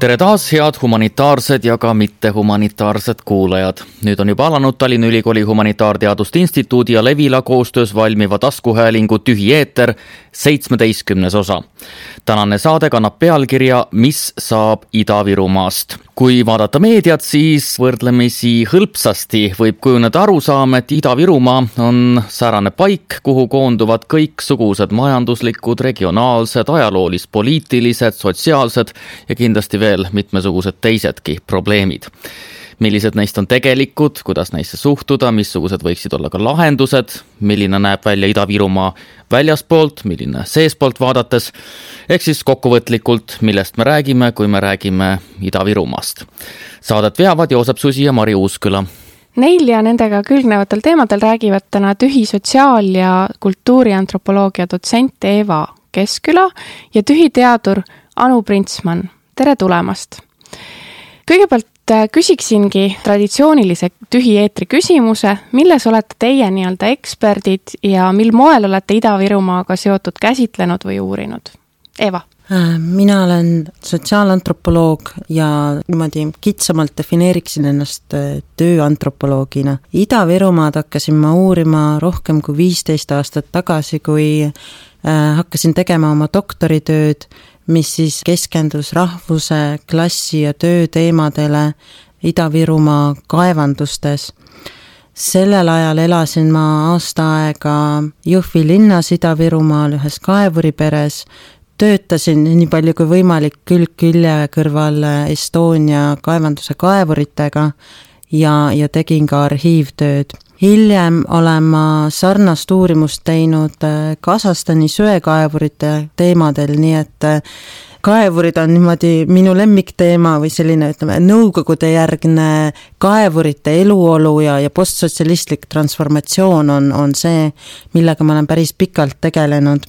Tere taas, head humanitaarsed ja ka mittehumanitaarsed kuulajad. Nüüd on juba alanud Tallinna Ülikooli Humanitaarteaduste Instituudi ja Levila koostöös valmiva taskuhäälingu Tühi eeter 17. osa. Tänane saade kannab pealkirja Mis saab Ida-Virumaast? Kui vaadata meediat, siis võrdlemisi hõlpsasti võib kujuneda arusaam, et Ida-Virumaa on säärane paik, kuhu koonduvad kõiksugused majanduslikud, regionaalsed, ajaloolis-poliitilised, sotsiaalsed ja kindlasti veel mitmesugused teisedki probleemid. Millised neist on tegelikud, kuidas neisse suhtuda, missugused võiksid olla ka lahendused, milline näeb välja Ida-Virumaa väljaspoolt, milline seespoolt vaadates, ehk siis kokkuvõtlikult, millest me räägime, kui me räägime Ida-Virumaast. Saadet veavad Joosep Susi ja Mari Uusküla. Neil ja nendega külgnevatel teemadel räägivad täna Tühi sotsiaal- ja kultuuriantropoloogia dotsent Eva Keskküla ja Tühi teadur Anu Printsmann. Tere tulemast! Kõigepealt küsiksingi traditsioonilise Tühi eetri küsimuse, milles olete teie nii-öelda eksperdid ja mil moel olete Ida-Virumaaga seotud käsitlenud või uurinud? Eva? Mina olen sotsiaalantropoloog ja niimoodi kitsamalt defineeriksin ennast tööantropoloogina. Ida-Virumaad hakkasin ma uurima rohkem kui 15 aastat tagasi, kui hakkasin tegema oma doktoritööd, mis siis keskendus rahvuse, klassi ja töö teemadele Ida-Virumaa kaevandustes. Sellel ajal elasin ma aasta aega Jõhvi linnas Ida-Virumaal ühes kaevuriperes, töötasin nii palju kui võimalik külg külje kõrval Estonia kaevanduse kaevuritega ja tegin ka arhiivtööd. Hiljem olen ma sarnast uurimust teinud Kasahstani söekaevurite teemadel, nii et kaevurid on niimoodi minu lemmikteema või selline, ütleme, nõukogude järgne kaevurite eluolu ja postsotsialistlik transformatsioon on see, millega ma olen päris pikalt tegelenud.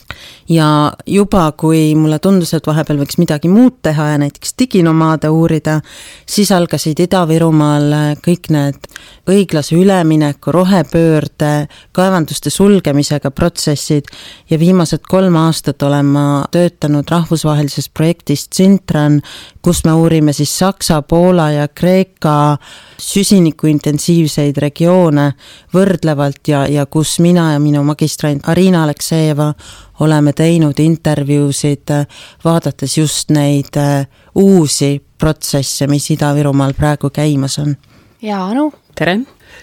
Ja juba kui mulle tundus, et vahepeal võiks midagi muud teha ja näiteks diginomaade uurida, siis algasid Ida-Virumaal kõik need õiglase ülemineku, rohepöörde, kaevanduste sulgemisega protsessid ja viimased 3 aastat olen ma töötanud rahvusvahelises projektist Sintran, kus me uurime siis Saksa, Poola ja Kreeka süsinikuintensiivseid regioone võrdlevalt ja kus mina ja minu magistrant Arina Aleksejeva oleme teinud intervjuusid, vaadates just neid uusi protsesse, mis Ida-Virumaal praegu käimas on. Ja Anu? Tere!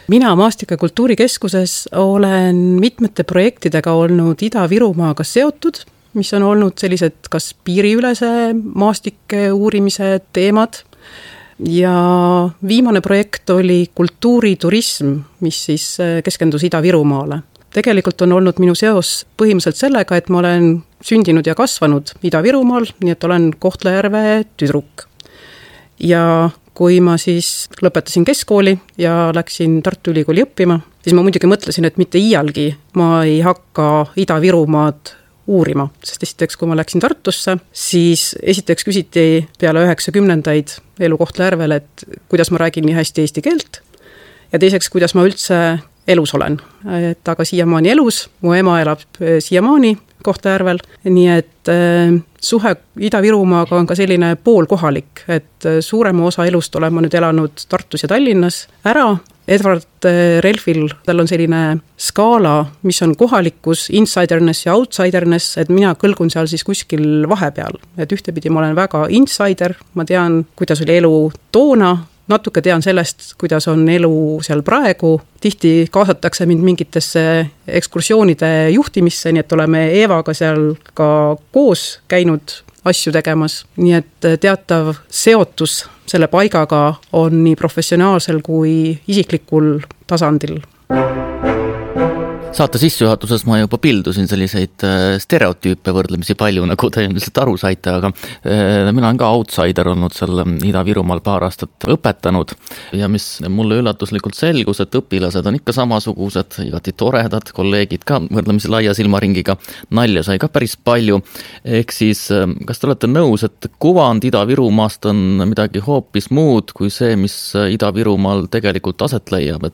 Mina Maastika kultuurikeskuses olen mitmete projektidega olnud Ida-Virumaaga seotud, mis on olnud sellised kas piiriülese maastike uurimise teemad. Ja viimane projekt oli kultuuriturism, mis siis keskendus Ida-Virumaale. Tegelikult on olnud minu seos põhimõtteliselt sellega, et ma olen sündinud ja kasvanud Ida-Virumaal, nii et olen Kohtla-Järve tüdruk. Ja kui ma siis lõpetasin keskkooli ja läksin Tartu Ülikooli õppima, siis ma muidugi mõtlesin, et mitte iialgi ma ei hakka Ida-Virumaad uurima, sest esiteks, kui ma läksin Tartusse, siis esiteks küsiti peale 90-ndaid elu Kohtla-Järvel, et kuidas ma räägin nii hästi eesti keelt ja teiseks, kuidas ma üldse elus olen. Et aga siiamaani elus, mu ema elab siiamaani Kohtla-Järvel, nii et suhe Ida-Virumaaga on ka selline poolkohalik, et suurema osa elust olen ma nüüd elanud Tartus ja Tallinnas ära. Edward Relfil, tal on selline skaala, mis on kohalikus, insiderness ja outsiderness, et mina kõlgun seal siis kuskil vahepeal. Et ühtepidi ma olen väga insider, ma tean, kuidas oli elu toona, natuke tean sellest, kuidas on elu seal praegu. Tihti kaasatakse mind mingitesse ekskursioonide juhtimisse, nii et oleme Eevaga seal ka koos käinud asju tegemas. Nii et teatav seotus selle paigaga on nii professionaalsel kui isiklikul tasandil. Saate sissejuhatuses ma juba pildusin selliseid stereotüüpe võrdlemisi palju, nagu te ilmselt aru saite, aga mina olen ka outsider olnud seal Ida-Virumaal paar aastat õpetanud ja mis mulle üllatuslikult selgus, et õpilased on ikka samasugused, igati toredad, kolleegid ka võrdlemisi laia silmaringiga, nalja sai ka päris palju. Ehk siis, kas te olete nõus, et kuvand Ida-Virumaast on midagi hoopis muud kui see, mis Ida-Virumaal tegelikult aset leiab?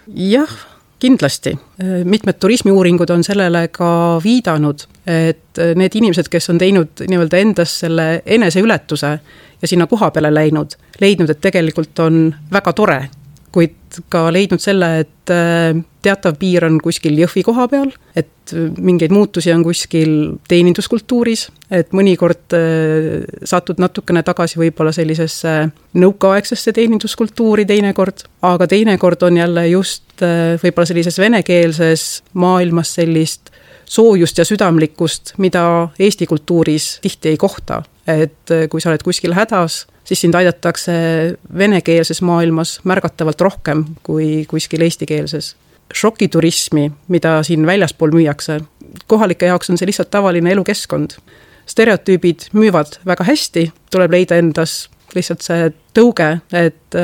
Jah, Kindlasti. Mitmed turismiuuringud on sellele ka viidanud, et need inimesed, kes on teinud nii-öelda endas selle eneseületuse ja sinna koha peale leidnud, et tegelikult on väga tore, kuid ka leidnud selle, et teatav piir on kuskil Jõhvi koha peal, et mingeid muutusi on kuskil teeninduskultuuris, et mõnikord satud natukene tagasi võib-olla sellisesse nõukaaegsesse teeninduskultuuri teinekord, aga teinekord on jälle just võib-olla sellises venekeelses maailmas sellist soojust ja südamlikkust, mida Eesti kultuuris tihti ei kohta. Et kui sa oled kuskil hädas, siis sind aidatakse venekeelses maailmas märgatavalt rohkem kui kuskil eestikeelses. Šokiturismi, mida siin väljaspool müüakse, kohalike jaoks on see lihtsalt tavaline elukeskkond. Stereotüübid müüvad väga hästi, tuleb leida endas lihtsalt see tõuge, et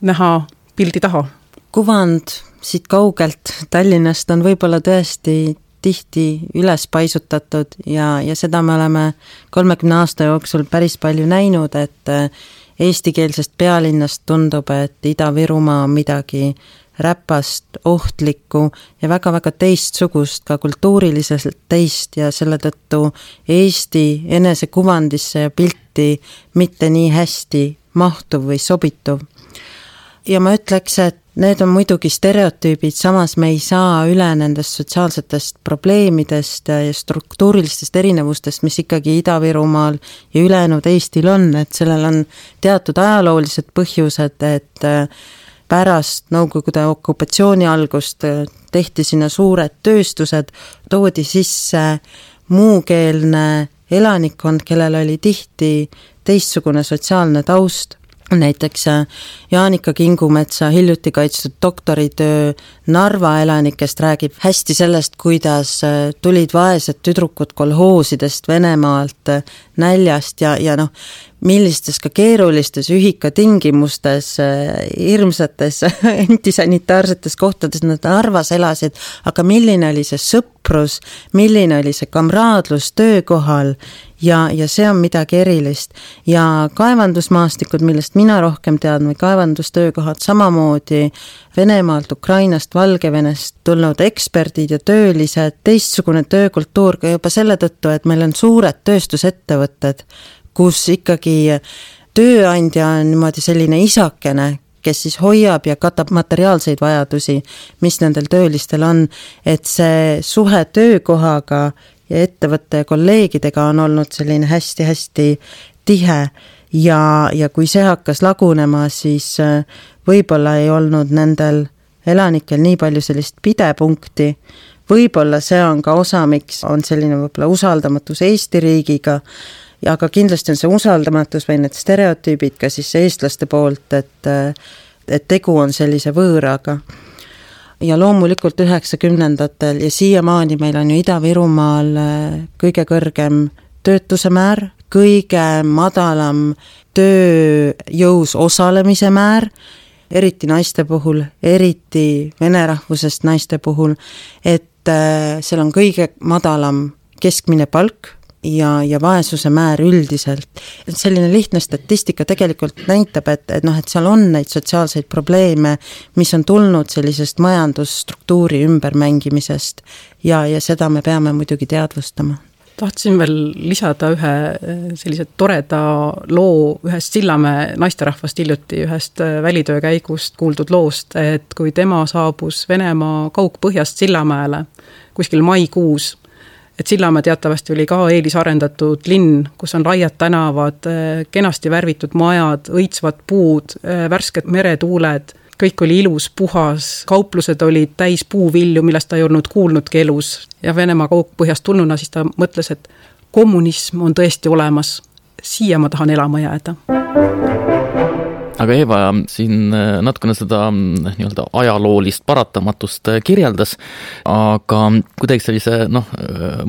näha pildi taha. Kuvand siit kaugelt Tallinnast on võib-olla tõesti tihti üles paisutatud ja seda me oleme 30 aasta jooksul päris palju näinud, et eestikeelsest pealinnast tundub, et Ida-Virumaa on midagi räpast, ohtlikku ja väga-väga teistsugust, ka kultuuriliselt teist ja selle tõttu Eesti enesekuvandisse ja pilti mitte nii hästi mahtuv või sobituv. Ja ma ütleks, et need on muidugi stereotüübid, samas me ei saa üle nendest sotsiaalsetest probleemidest ja struktuurilistest erinevustest, mis ikkagi Ida-Virumaal ja ülejäänud Eestil on, et sellel on teatud ajaloolised põhjused, et pärast Nõukogude okupatsiooni algust tehti sinna suured tööstused, toodi sisse muukeelne elanikkond, kellel oli tihti teistsugune sotsiaalne taust. Näiteks Jaanika Kingumetsa hiljuti kaitstud doktoritöö Narva elanikest räägib hästi sellest, kuidas tulid vaesed tüdrukud kolhoosidest Venemaalt näljast ja millistes ka keerulistes ühikatingimustes, hirmsates antisanitaarsetes kohtades nad Narvas elasid, aga milline oli see sõprus, milline oli see kamraadlus töökohal ja see on midagi erilist. Ja kaevandusmaastikud, millest mina rohkem tean, või kaevandustöökohad samamoodi Venemaalt, Ukrainast, Valgevenest tulnud eksperdid ja töölised, teistsugune töökultuur ka juba selle tõttu, et meil on suured tööstusettevõtted, kus ikkagi tööandja on niimoodi selline isakene, kes siis hoiab ja katab materiaalseid vajadusi, mis nendel töölistel on, et see suhe töökohaga ja ettevõtte ja kolleegidega on olnud selline hästi-hästi tihe ja kui see hakkas lagunema, siis võib-olla ei olnud nendel elanikel nii palju sellist pidepunkti, võib-olla see on ka osa, miks on selline võib-olla usaldamatus Eesti riigiga, aga kindlasti on see usaldamatus või need stereotüübid ka siis eestlaste poolt, et tegu on sellise võõraga. Ja loomulikult 90ndatel ja siiamaani meil on ju Ida-Virumaal kõige kõrgem töötuse määr, kõige madalam tööjõus osalemise määr, eriti naiste puhul, eriti vene rahvusest naiste puhul, et seal on kõige madalam keskmine palk ja vaesuse määr üldiselt. Selline lihtne statistika tegelikult näitab, et seal on neid sotsiaalseid probleeme, mis on tulnud sellisest majandusstruktuuri ümbermängimisest ja seda me peame muidugi teadvustama. Tahtsin veel lisada ühe sellise toreda loo ühest Sillamäe naisterahvast hiljuti ühest välitöö käigust kuuldud loost, et kui tema saabus Venemaa kaugpõhjast Sillamäele kuskil maikuus, et Sillamäe teatavasti oli ka eelisarendatud linn, kus on laiad tänavad, kenasti värvitud majad, õitsvad puud, värsked meretuuled, kõik oli ilus, puhas, kauplused olid täis puuvilju, millest ta ei olnud kuulnudki elus. Ja Venemaa kaugpõhjast tulnuna siis ta mõtles, et kommunism on tõesti olemas, siia ma tahan elama jääda. Aga Eva siin natukene seda nii-öelda ajaloolist paratamatust kirjeldas, aga kui teeks sellise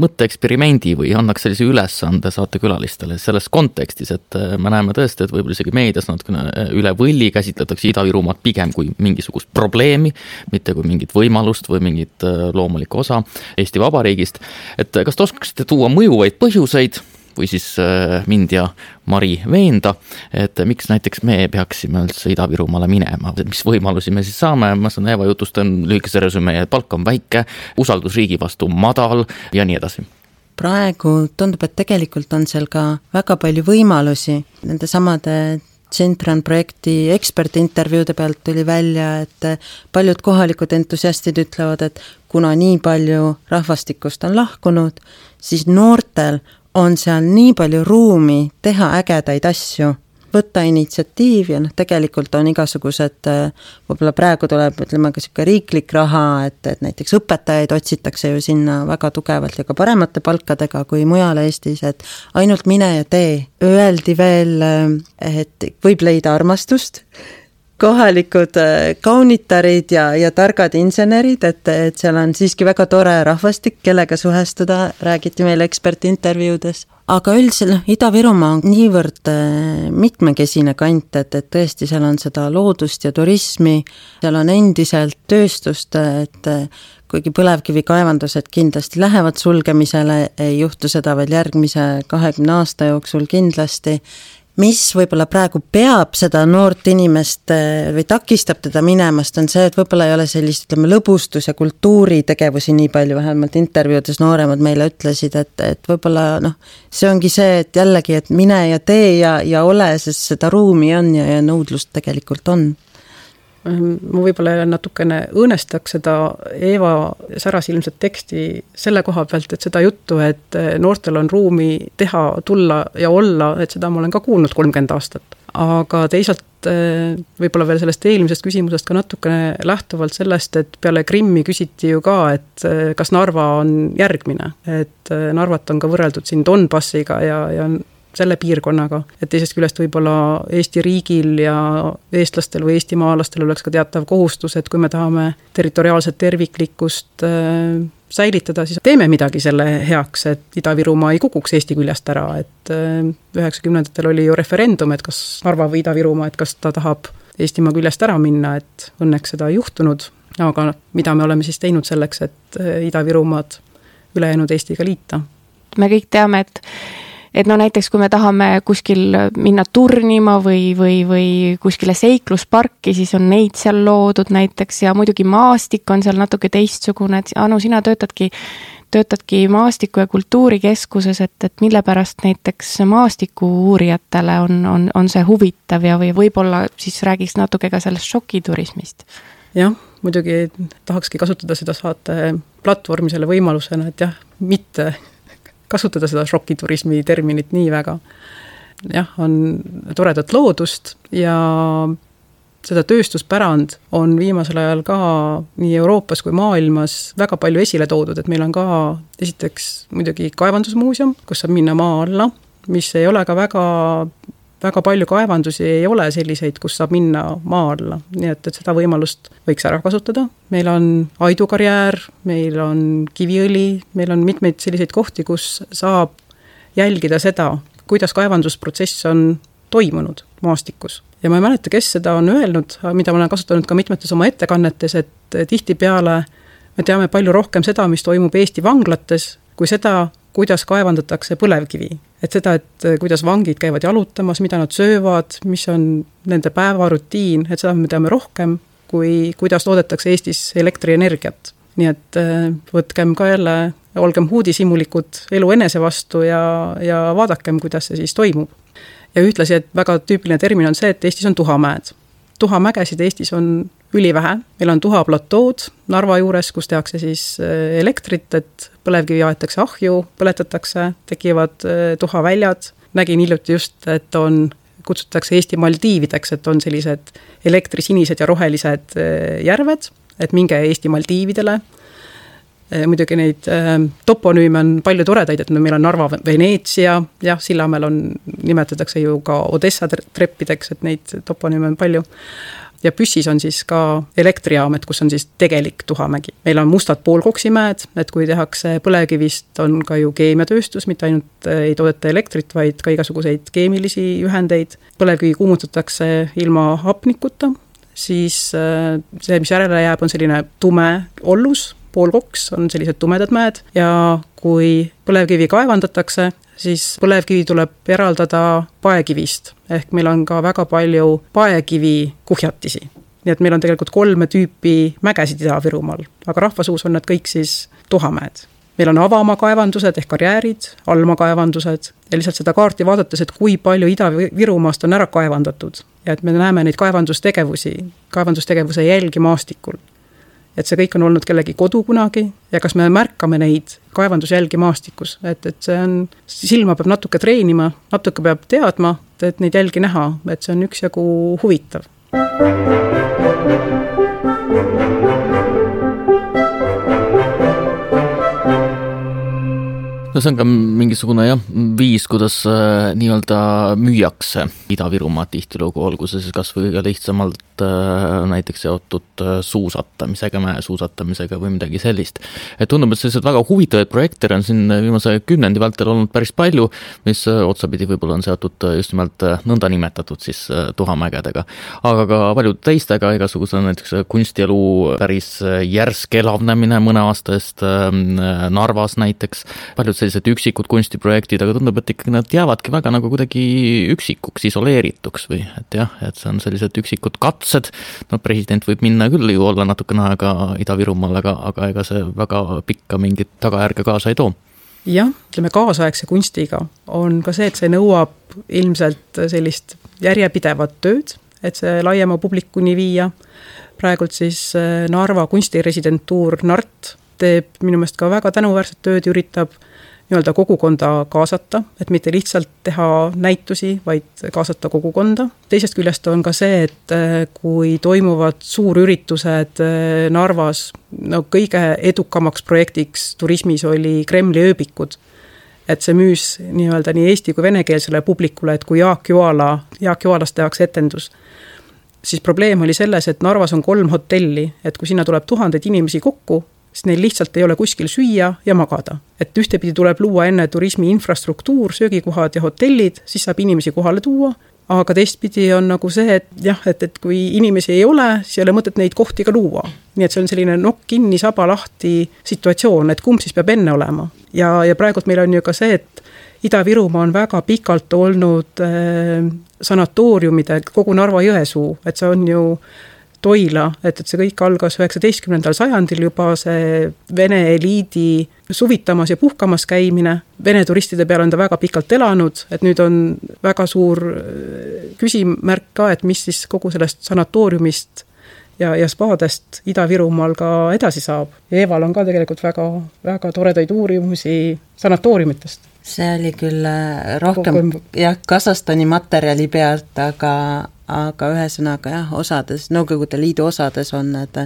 mõtteeksperimendi või annaks sellise ülesande saatekülalistele selles kontekstis, et me näeme tõesti, et võib-olla isegi meedias natukene üle võlli käsitletakse Ida-Virumaad pigem kui mingisugust probleemi, mitte kui mingit võimalust või mingit loomulikku osa Eesti Vabariigist, et kas te oskaksite tuua mõjuvaid põhjuseid või siis mind ja Mari veenda, et miks näiteks me peaksime üldse Ida-Virumaale minema, mis võimalusi me siis saame, ma saan Eeva jutust lühikese resümee, et palk on väike, usaldus riigi vastu madal ja nii edasi. Praegu tundub, et tegelikult on seal ka väga palju võimalusi. Nende samade Centran projekti ekspertintervjuude pealt tuli välja, et paljud kohalikud entusiastid ütlevad, et kuna nii palju rahvastikust on lahkunud, siis noortel on seal nii palju ruumi teha ägedaid asju, võtta initsiatiiv ja tegelikult on igasugused, võib-olla praegu tuleb, ütleme ka siuke riiklik raha, et näiteks õpetajaid otsitakse ju sinna väga tugevalt ja ka paremate palkadega kui mujal Eestis, et ainult mine ja tee. Öeldi veel, et võib leida armastust, kohalikud kaunitarid ja targad insenerid, et seal on siiski väga tore rahvastik, kellega suhestuda, räägiti meil ekspertintervjuudes. Aga üldiselt Ida-Virumaa on niivõrd mitmekesine kant, et tõesti seal on seda loodust ja turismi, seal on endiselt tööstust, et kuigi põlevkivikaevandused kindlasti lähevad sulgemisele, ei juhtu seda veel järgmise 20 aasta jooksul kindlasti. Mis võib-olla praegu peab seda noort inimest või takistab teda minemast, on see, et võib-olla ei ole sellist, ütleme, lõbustus- ja kultuuritegevusi nii palju, vähemalt intervjuudes nooremad meile ütlesid, et võib-olla see ongi see, et jällegi, et mine ja tee ja ole, sest seda ruumi on ja nõudlust tegelikult on. Ma võib-olla natukene õõnestaks seda Eeva särasilmset teksti selle koha pealt, et seda juttu, et noortel on ruumi teha, tulla ja olla, et seda ma olen ka kuulnud 30 aastat. Aga teisalt võib-olla veel sellest eelmisest küsimusest ka natukene lähtuvalt sellest, et peale Krimmi küsiti ju ka, et kas Narva on järgmine, et Narvat on ka võrreldud siin Donbassiga ja selle piirkonnaga, et teisest küljest võib-olla Eesti riigil ja eestlastel või eestimaalastel oleks ka teatav kohustus, et kui me tahame territoriaalset terviklikkust säilitada, siis teeme midagi selle heaks, et Ida-Virumaa ei kukuks Eesti küljest ära, et 90-ndatel oli ju referendum, et kas Narva või Ida-Virumaa, et kas ta tahab Eestimaa küljest ära minna, et õnneks seda ei juhtunud, aga mida me oleme siis teinud selleks, et Ida-Virumaad ülejäänud Eestiga liita? Me kõik teame, et näiteks kui me tahame kuskil minna turnima või kuskile seiklusparki, siis on neid seal loodud näiteks ja muidugi maastik on seal natuke teistsugune, et Anu, sina töötadki maastiku- ja kultuurikeskuses, et mille pärast näiteks maastiku uurijatele on see huvitav ja või võib-olla siis räägiks natuke ka sellest šokiturismist. Jah, muidugi tahakski kasutada seda saate platvormi selle võimalusena, et jah, mitte kasutada seda šokiturismi terminit nii väga. Jah, on toredat loodust ja seda tööstuspärand on viimasel ajal ka nii Euroopas kui maailmas väga palju esile toodud, et meil on ka esiteks muidugi kaevandusmuuseum, kus saab minna maa alla, mis ei ole ka väga palju kaevandusi ei ole selliseid, kus saab minna maa alla, nii et seda võimalust võiks ära kasutada. Meil on aidukarjäär, meil on kiviõli, meil on mitmeid selliseid kohti, kus saab jälgida seda, kuidas kaevandusprotsess on toimunud maastikus. Ja ma ei mäleta, kes seda on öelnud, mida ma olen kasutanud ka mitmetes oma ettekannetes, et tihtipeale me teame palju rohkem seda, mis toimub Eesti vanglates, kui seda, kuidas kaevandatakse põlevkivi. Et seda, et kuidas vangid käivad jalutamas, mida nad söövad, mis on nende päevarutiin, et seda me teame rohkem, kui kuidas toodetakse Eestis elektrienergiat. Nii et võtkem ka jälle, olgem huudisimulikud elu enese vastu ja vaadakem, kuidas see siis toimub. Ja ühtlasi, et väga tüüpiline termin on see, et Eestis on tuhamäed. Tuhamägesid Eestis on ülivähe. Meil on tuhaplatood Narva juures, kus tehakse siis elektrit, et põlevkivi aetakse ahju, põletatakse, tekivad tuhaväljad. Nägin hiljuti just, et kutsutakse Eesti Maldiivideks, et on sellised elektrisinised ja rohelised järved, et minge Eesti Maldiividele. Muidugi neid toponüüme on palju toredaid, et meil on Narva Veneetsia, jah, Sillamäel nimetatakse ju ka Odessa treppideks, et neid toponüüme on palju. Ja Püssis on siis ka elektrijaamet, kus on siis tegelik tuhamägi. Meil on mustad poolkoksimäed, et kui tehakse põlevkivist, on ka ju keemiatööstus, mitte ainult ei toodeta elektrit, vaid ka igasuguseid keemilisi ühendeid. Põlevkivi kuumutatakse ilma hapnikuta, siis see, mis järele jääb, on selline tume ollus, poolkoks, on sellised tumedad mäed ja kui põlevkivi kaevandatakse, siis põlevkivi tuleb eraldada paekivist. Ehk meil on ka väga palju paekivi kuhjatisi. Nii et meil on tegelikult 3 tüüpi mägesid Ida-Virumaal, aga rahvasuus on nad kõik siis tuhamäed. Meil on avamaakaevandused ehk karjäärid, allmaakaevandused ja lihtsalt seda kaarti vaadates, et kui palju Ida-Virumaast on ära kaevandatud ja et me näeme neid kaevandustegevuse jälgi maastikul. Et see kõik on olnud kellegi kodu kunagi ja kas me märkame neid kaevandusjälgi maastikus, et see on, silma peab natuke treenima, natuke peab teadma, et neid jälgi näha, et see on üksjagu huvitav. No see on ka mingisugune viis, kuidas nii-öelda müüakse Ida-Virumaa tihtilugu, olgu see siis kas või ka lihtsamalt näiteks seotud suusatamisega, mäesuusatamisega või midagi sellist. Et tundub, et sellised väga huvitavaid projekte on siin viimase 10 vältel olnud päris palju, mis otsapidi võib-olla on seotud just nimelt nõnda nimetatud siis tuhamägedega. Aga ka paljud teistega, igasuguse näiteks kunstielu päris järsk elavnemine mõne aasta eest Narvas näiteks, paljud sellised üksikud kunstiprojektid, aga tundub, et ikkagi nad jäävadki väga nagu kuidagi üksikuks, isoleerituks või et jah, et see on sellised üksikud katsed, no president võib minna küll ju olla natukene aega Ida-Virumaal, aga ega see väga pikka mingit tagajärge kaasa ei too. Jah, ütleme kaasaegse kunstiga on ka see, et see nõuab ilmselt sellist järjepidevat tööd, et see laiema publikuni viia. Praegult siis Narva kunstiresidentuur NART teeb minu meelest ka väga tänuväärset tööd, üritab nii-öelda kogukonda kaasata, et mitte lihtsalt teha näitusi, vaid kaasata kogukonda. Teisest küljest on ka see, et kui toimuvad suurüritused Narvas, no kõige edukamaks projektiks turismis oli Kremli ööbikud, et see müüs nii-öelda nii eesti kui venekeelsele publikule, et kui Jaak Joalas tehakse etendus, siis probleem oli selles, et Narvas on 3 hotelli, et kui sinna tuleb 1000 inimesi kokku, siis neil lihtsalt ei ole kuskil süüa ja magada. Et ühtepidi tuleb luua enne turismi infrastruktuur, söögikohad ja hotellid, siis saab inimesi kohale tuua, aga teistpidi on nagu see, et jah, et kui inimesi ei ole, siis ei ole mõtet neid kohti ka luua. Nii et see on selline nokk kinni, saba lahti situatsioon, et kumb siis peab enne olema. Ja praegult meil on ju ka see, et Ida-Virumaa on väga pikalt olnud sanatooriumide kogu Narva-Jõesuu, et see on ju Toila, et see kõik algas 19. sajandil juba see Vene eliidi suvitamas ja puhkamas käimine. Vene turistide peal on ta väga pikalt elanud, et nüüd on väga suur küsimärk ka, et mis siis kogu sellest sanatooriumist ja spaadest Ida-Virumaal ka edasi saab. Ja Eeval on ka tegelikult väga, väga toredaid uurimusi sanatooriumitest. See oli küll rohkem Kasahstani materjali pealt, aga ühesõnaga jah, osades, Nõukogude Liidu osades on need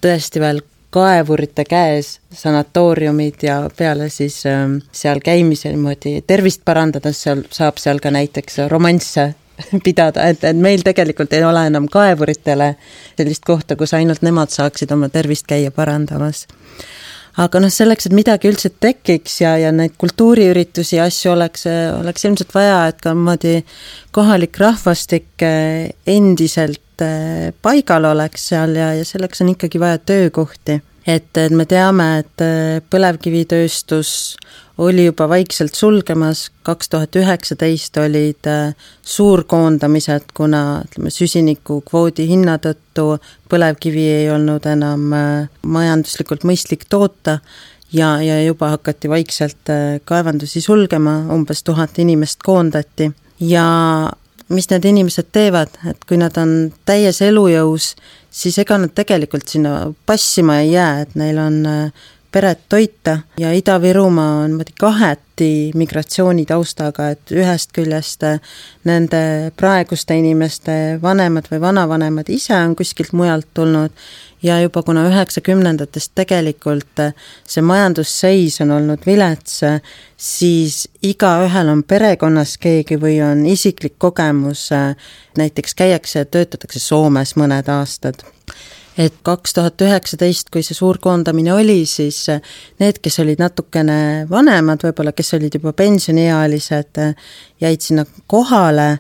tõesti veel kaevurite käes sanatooriumid ja peale siis seal käimise niimoodi tervist parandades saab seal ka näiteks romansse pidada, et meil tegelikult ei ole enam kaevuritele sellist kohta, kus ainult nemad saaksid oma tervist käia parandamas. Aga selleks, et midagi üldse tekiks ja neid kultuuriüritusi ja asju oleks ilmselt vaja, et ka kohalik rahvastik endiselt paigal oleks seal ja selleks on ikkagi vaja töökohti. Et me teame, et põlevkivitööstus oli juba vaikselt sulgemas, 2019 olid suurkoondamised, kuna süsiniku kvoodi hinna tõttu põlevkivi ei olnud enam majanduslikult mõistlik toota ja juba hakati vaikselt kaevandusi sulgema, umbes 1000 inimest koondati. Ja mis need inimesed teevad, et kui nad on täies elujõus, siis ega nad tegelikult sinna passima ei jää, et neil on peret toita ja Ida-Virumaa on kaheti migratsioonitaustaga, et ühest küljest nende praeguste inimeste vanemad või vanavanemad ise on kuskilt mujalt tulnud ja juba kuna 90-ndatest tegelikult see majandusseis on olnud vilets, siis igaühel on perekonnas keegi või on isiklik kogemus, näiteks käiakse ja töötatakse Soomes mõned aastad. Et 2019, kui see suur koondamine oli, siis need, kes olid natukene vanemad, võib-olla kes olid juba pensioniealised, jäid sinna kohale,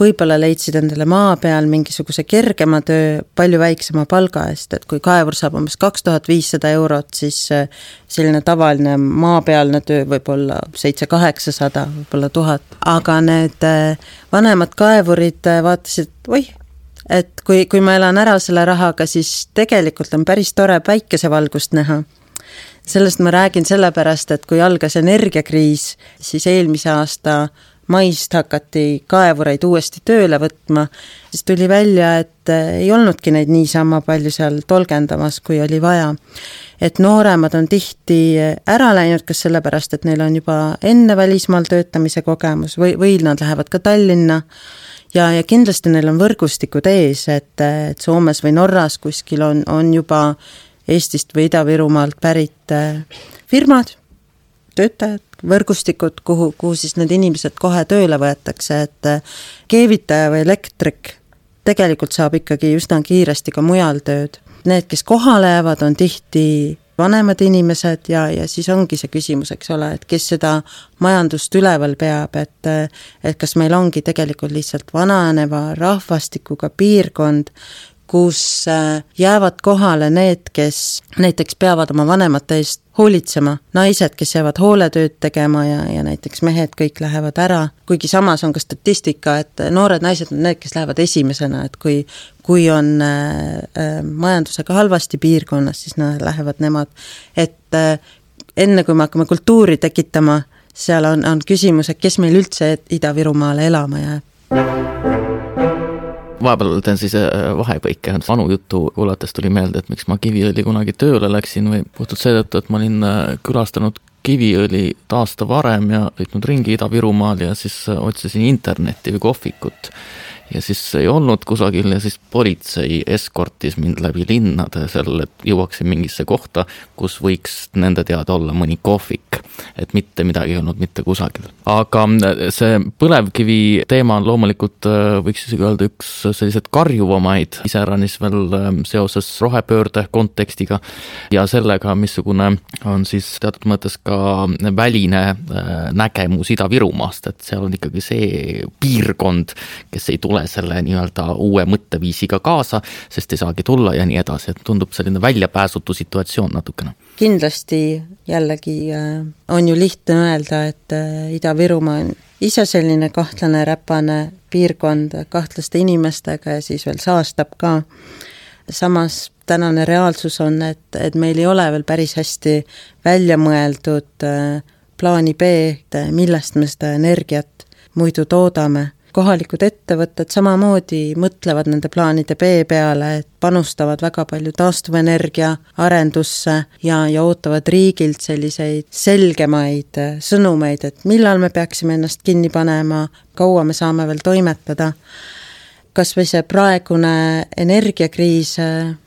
võib-olla leidsid endale maa peal mingisuguse kergema töö palju väiksema palga eest, et kui kaevur saab umbes 2500 eurot, siis selline tavaline maapealne töö võib olla 700-800, võib-olla 1000. Aga need vanemad kaevurid vaatasid, et kui ma elan ära selle rahaga, siis tegelikult on päris tore päikesevalgust näha. Sellest ma räägin sellepärast, et kui algas energiakriis, siis eelmise aasta maist hakati kaevureid uuesti tööle võtma, siis tuli välja, et ei olnudki neid niisama palju seal tolgendamas, kui oli vaja. Et nooremad on tihti ära läinud, kas sellepärast, et neil on juba enne välismaal töötamise kogemus või nad lähevad ka Tallinna ja kindlasti neil on võrgustikud ees, et Soomes või Norras kuskil on juba Eestist või Ida-Virumaalt pärit firmad, töötajad, võrgustikud, kuhu siis need inimesed kohe tööle võetakse, et keevitaja või elektrik tegelikult saab ikkagi üsna kiiresti ka mujal tööd. Need, kes kohale jäävad, on tihti vanemad inimesed ja siis ongi see küsimus, eks ole, et kes seda majandust üleval peab, et kas meil ongi tegelikult lihtsalt vananeva rahvastikuga piirkond, kus jäävad kohale need, kes näiteks peavad oma vanemate eest hoolitsema, naised, kes jäävad hooletööd tegema ja näiteks mehed kõik lähevad ära, kuigi samas on ka statistika, et noored naised on need, kes lähevad esimesena, et kui on majandusega halvasti piirkonnas, siis nad lähevad nemad, et enne kui me hakkame kultuuri tekitama, seal on küsimus, et kes meil üldse Ida-Virumaale elama jääb. Vahepeal teen siis vahepõike, vanu juttu kuulates tuli meelde, et miks ma Kiviõli kunagi tööle läksin või puhtalt seetõttu, et ma olin külastanud Kiviõli aasta varem ja sõitnud ringi Ida-Virumaal ja siis otsisin internetti või kohvikut. Ja siis ei olnud kusagil ja siis politsei eskortis mind läbi linnade sellele, et jõuaksin mingisse kohta, kus võiks nende teada olla mõni kohvik, et mitte midagi ei olnud mitte kusagil. Aga see põlevkivi teema on loomulikult, võiks isegi öelda, üks sellised karjuvamaid iseäranis veel seoses rohepöörde kontekstiga ja sellega, missugune on siis teatud mõttes ka väline nägemus Ida-Virumaast, et seal on ikkagi see piirkond, kes ei tule selle nii-öelda uue mõtteviisiga kaasa, sest ei saagi tulla ja nii edasi, et tundub selline väljapääsutu situatsioon natukene. Kindlasti jällegi on ju lihtne öelda, et Ida-Virumaa on ise selline kahtlane räpane piirkond kahtlaste inimestega ja siis veel saastab ka. Samas tänane reaalsus on, et meil ei ole veel päris hästi välja mõeldud plaani B, millest me seda energiat muidu toodame. Kohalikud ettevõtted samamoodi mõtlevad nende plaanide B peale, et panustavad väga palju taastuvenergia arendusse ja ootavad riigilt selliseid selgemaid sõnumeid, et millal me peaksime ennast kinni panema, kaua me saame veel toimetada. Kas või see praegune energiakriis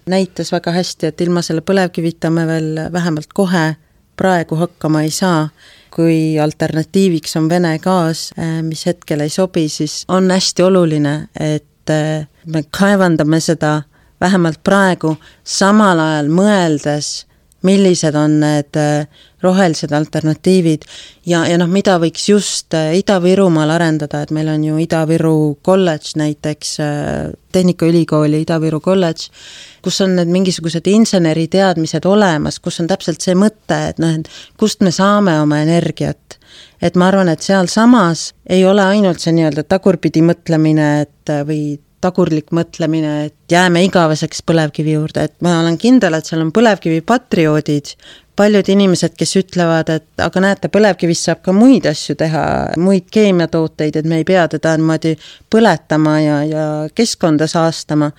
näitas väga hästi, et ilma selle põlevkivita me veel vähemalt kohe praegu hakkama ei saa. Kui alternatiiviks on Vene gaas, mis hetkel ei sobi, siis on hästi oluline, et me kaevandame seda vähemalt praegu samal ajal mõeldes, millised on need rohelised alternatiivid ja mida võiks just Ida-Virumaal arendada, et meil on ju Ida-Viru kolledž näiteks, Tehnikaülikooli Ida-Viru kolledž, kus on need mingisugused inseneriteadmised olemas, kus on täpselt see mõte, et kust me saame oma energiat. Et ma arvan, et seal samas ei ole ainult see nii-öelda tagurpidi mõtlemine, või tagurlik mõtlemine, et jääme igaveseks põlevkivi juurde, et ma olen kindel, et seal on põlevkivi patrioodid, paljud inimesed, kes ütlevad, et aga näete, põlevkivist saab ka muid asju teha, muid keemiatooteid, et me ei pea teda niimoodi põletama ja keskkonda saastama.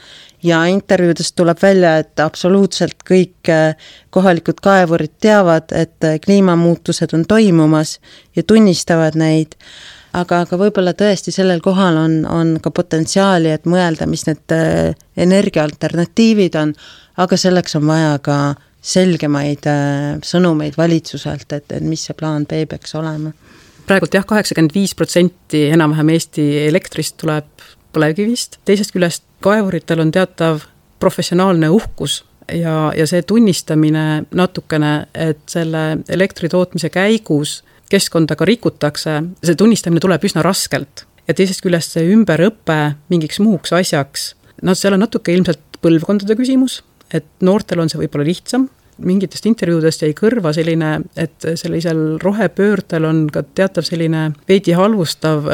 Ja intervjuudest tuleb välja, et absoluutselt kõik kohalikud kaevurid teavad, et kliimamuutused on toimumas ja tunnistavad neid. Aga võib-olla tõesti sellel kohal on ka potentsiaali, et mõelda, mis need energiaalternatiivid on, aga selleks on vaja ka selgemaid sõnumeid valitsuselt, et mis see plaan B peaks olema. Praegult 85% enam-vähem Eesti elektrist tuleb põlevkivist, teisest küljest kaevuritel on teatav professionaalne uhkus ja see tunnistamine natukene, et selle elektritootmise käigus keskkonda ka rikutakse, see tunnistamine tuleb üsna raskelt. ja teisest küljest see ümberõpe mingiks muuks asjaks. No seal on natuke ilmselt põlvkondade küsimus, et noortel on see võib-olla lihtsam. Mingitest intervjuudest jäi kõrva selline, et sellisel rohepöördel on ka teatav selline veidi halvustav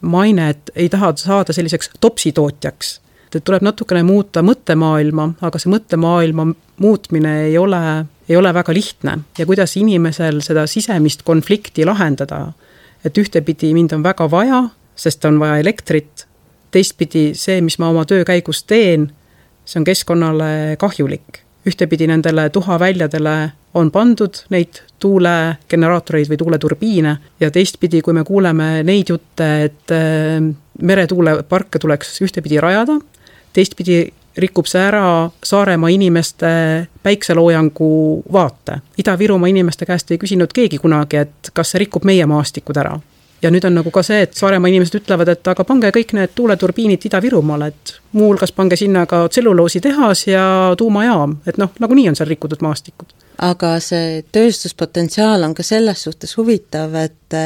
maine, et ei taha saada selliseks topsitootjaks. Et tuleb natukene muuta mõttemaailma, aga see mõttemaailma muutmine ei ole väga lihtne. Ja kuidas inimesel seda sisemist konflikti lahendada, et ühtepidi mind on väga vaja, sest on vaja elektrit, teistpidi see, mis ma oma töö käigus teen, see on keskkonnale kahjulik. Ühtepidi nendele tuhaväljadele on pandud neid tuulegeneraatoreid või tuuleturbiine ja teistpidi, kui me kuuleme neid jutte, et meretuuleparke tuleks ühtepidi rajada, teistpidi rikub see ära Saaremaa inimeste päikseloojangu vaate. Ida-Virumaa inimeste käest ei küsinud keegi kunagi, et kas see rikub meie maastikud ära. Ja nüüd on nagu ka see, et Saaremaa inimesed ütlevad, et aga pange kõik need tuuleturbiinid Ida-Virumaale, et muuhulgas pange sinna ka tselluloositehas ja tuumajaam, et nagu nii on seal rikutud maastikud. Aga see tööstuspotentsiaal on ka selles suhtes huvitav, et